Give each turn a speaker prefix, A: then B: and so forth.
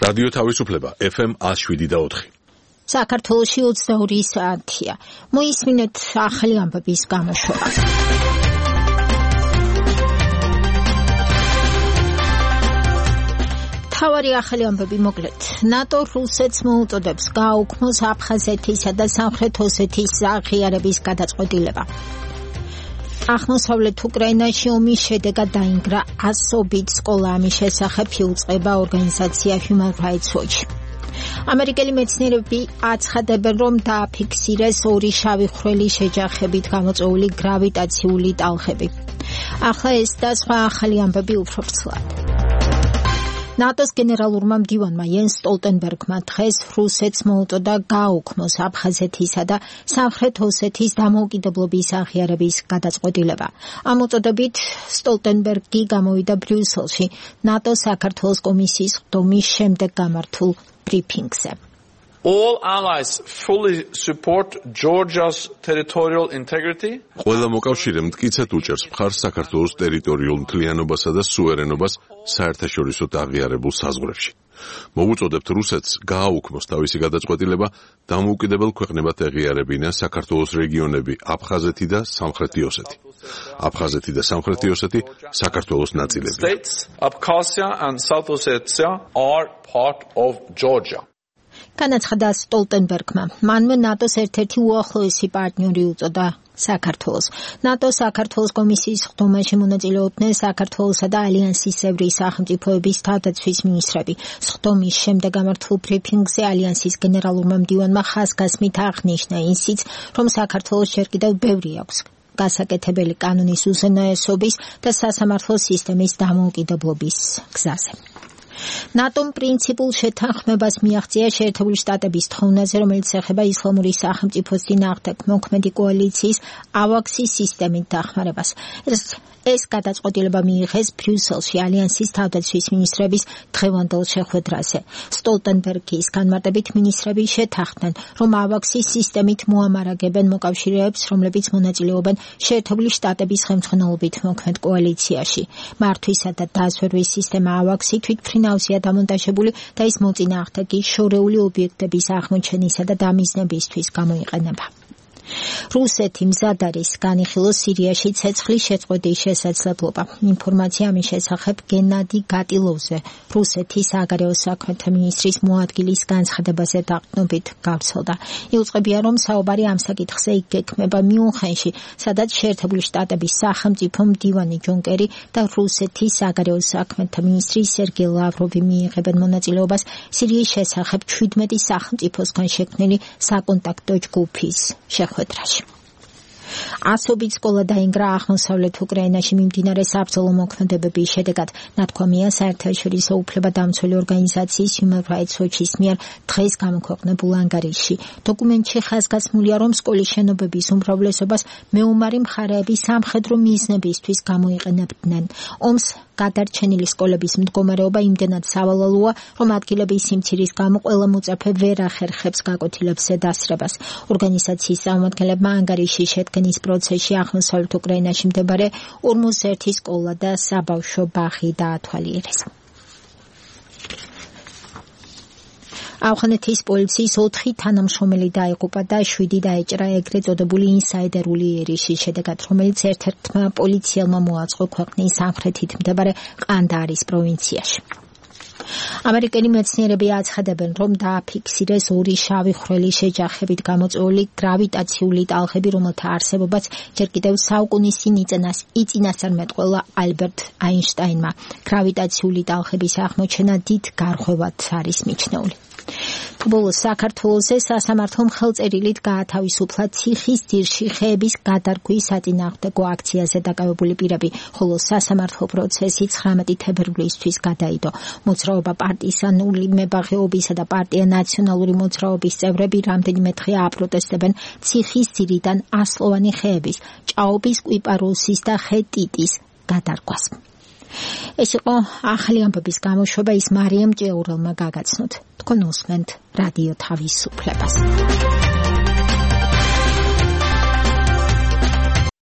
A: რადიო თავისუფლება FM 107.4.
B: საქართველოში 22 საათია. მოისმინეთ ახალი ამბების გამოშვება. თავარი ახალი ამბები მოკლედ. ნატო რუსეთს მოუწოდებს გააუქმოს აფხაზეთისა და სამხრეთ ოსეთის აღიარების გადაწყვეტილება. აღმოსავლეთ უკრაინაში ომის შედეგად დაინგრა ასობით სკოლა, ამის შესახებ იუწყება ორგანიზაცია Human Rights Watch. ამერიკელი მეცნიერები აცხადებენ, რომ დააფიქსირეს ორი შავი ხვრელის შეჯახებით გამოწვეული გრავიტაციული ტალღები. ახლა ეს და სხვა ახალი ამბები უფრო ვრცლად. ნატოს გენერალურმა მდივანმა იენს სტოლტენბერგმა დღეს რუსეთს მოუწოდა გააუქმოს აფხაზეთისა და სამხრეთ ოსეთის დამოუკიდებლობის აღიარების გადაწყვეტილება. ამ უწოდებით სტოლტენბერგი გამოვიდა ბრიუსელში ნატოს საქართველოს კომისიის ხდომის შემდეგ გამართულ ბრიფინგზე.
C: All allies fully support Georgia's territorial integrity.
A: ყველა მოკავშირე მტკიცედ უჭერს მხარს საქართველოს ტერიტორიულ მთლიანობასა და სუვერენობას საერთაშორისო აღიარებულ საზღვრებში. მოვუწოდებთ რუსეთს გააუქმოს თავისი გადაწყვეტილება, დამოუკიდებელ ქვეყნებად ეღიარებინა საქართველოს რეგიონები აფხაზეთი და სამხრეთი ოსეთი. აფხაზეთი და სამხრეთი ოსეთი საქართველოს ნაწილებია.
C: States, Abkhazia and South Ossetia are part of Georgia.
B: განაცხადა სტოლტენბერგმა. მანვე ნატოს ერთ-ერთი უახლოესი პარტნიორი უწოდა საქართველოს. ნატო საქართველოს კომისიის ხდომაში მონაწილეობდნენ საქართველოსა და ალიანსისებრი სახელმწიფოების თავდაცვის მინისტრები. ხდომის შემდეგ გამართულ ბრიფინგზე ალიანსის გენერალურმა მდივანმა ხაზგასმით აღნიშნა ისიც, რომ საქართველოს ჯერ კიდევ ბევრი აქვს გასაკეთებელი კანონის უზენაესობის და სასამართლო სისტემის დამოუკიდებლობის გზაზე. ნატომ პრინციპულ შეთანხმებას მიაღწია შეერთებული შტატების თხოვნაზე, რომელიც ეხება ისლამური სახელმწიფოს წინააღმდეგ მოქმედი კოალიციის ავაქსის სისტემით დახმარებას. ეს გადაწყვეტილება მიიღეს ბრიუსელში ალიანსის თავდაცვის მინისტრების დღევანდელ შეხვედრაზე. სტოლტენბერგის განმარტებით მინისტრები შეთანხმდნენ, რომ ავაქსის სისტემით მოამარაგებენ მოკავშირეებს, რომლებიც მონაწილეობენ შეერთებული შტატების ხელმძღვანელობით მოქმედ კოალიციაში. მართვისა და დაზვერვის სისტემა ავაქსი თვითმფრინავზეა დამონტაჟებული და ის მოწინააღმდეგის შორეული ობიექტების აღმოჩენისა და დამიზნებისთვის გამოიყენება. რუსეთი მზად არის განიხილოს სირიაში ცეცხლის შეწყვეტის შესაძლებლობა. ინფორმაცია ამის შესახებ გენადი გატილოვზე, რუსეთის საგარეო საქმეთა მინისტრის მოადგილის განცხადებაზე დაყრდნობით გავრცელდა. იუწყებია, რომ საუბარი ამ საკითხზე იგეგმება მიუნხენში, სადაც შეერთებული შტატების სახელმწიფო მდივანი ჯონ კერი და რუსეთის საგარეო საქმეთა მინისტრი სერგეი ლავროვი მიიღებენ მონაწილეობას სირიის შესახებ 17 სახელმწიფოსგან შექმნილი საკონტაქტო ჯგუფის შეხვედრაში. ასობით სკოლა დაინგრა აღმოსავლეთ უკრაინაში მიმდინარე საბრძოლო მოქმედებების შედეგად. ნათქვამია საერთაშორისო უფლებადამცველი ორგანიზაციის Human Rights Watch-ის მიერ დღეს გამოქვეყნებულ ანგარიშში. დოკუმენტში ხაზგასმულია, რომ სკოლის შენობების უმრავლესობას მეომარი მხარეები სამხედრო მიზნებისთვის გამოიყენებდნენ. ომს გადარჩენილი სკოლების მდგომარეობა იმდენად სავალალოა, რომ ადგილების სიმცირის გამო ყველა მოწაფე ვერ ახერხებს გაკვეთილებზე დასრებას. ორგანიზაციის წარმომადგენლებმა ანგარიშის შედგენის პროცესში აღმოსავლეთ უკრაინაში მდებარე 41 სკოლა და საბავშვო ბაღი დაათვალიერეს. ავღანეთის პოლიციის 4 თანამშრომელი დაიღუპა და 7 დაეჭრა ეგრეთ წოდებული ინსაიდერული ერიშის შედეგად, რომელიც ერთ-ერთმა პოლიციელმა მოაწყო ქვეყნის სამხრეთით მდებარე ყანდაარის პროვინციაში. ამერიკელი მეცნიერები აცხადებენ, რომ დააფიქსირეს ორი შავი ხვრელის შეჯახებით გამოწვეული გრავიტაციული ტალღები, რომელთა არსებობაც ჯერ კიდევ საუკუნისინ იწინასწარმეტყველა ალბერტ აინშტაინმა. გრავიტაციული ტალღების აღმოჩენა დიდ გარღვევად არის მიჩნეული. ბოლოს საქართველოზე სასამართლომ ხელწერილით გაათავისუფლა ციხის ძირში ხეების გადარგვის საწინააღმდეგო აქციაზე დაკავებული პირები, ხოლო სასამართლო პროცესი 19 თებერვლისთვის გადაიდო. მოძრაობა პარტიზანული მებაღეობისა და პარტია ნაციონალური მოძრაობის წევრები რამდენიმე დღეა აპროტესტებენ ციხის ძირიდან ასლოვანი ხეების, ჭაობის კვიპაროსის და ხე ტიტის გადარგვას. ეს იყო ახალი ამბების გამოშვება, ის მარიამ ჭეურელმა გაგაცნოთ. თქვენ უსმენთ რადიო თავისუფლებას.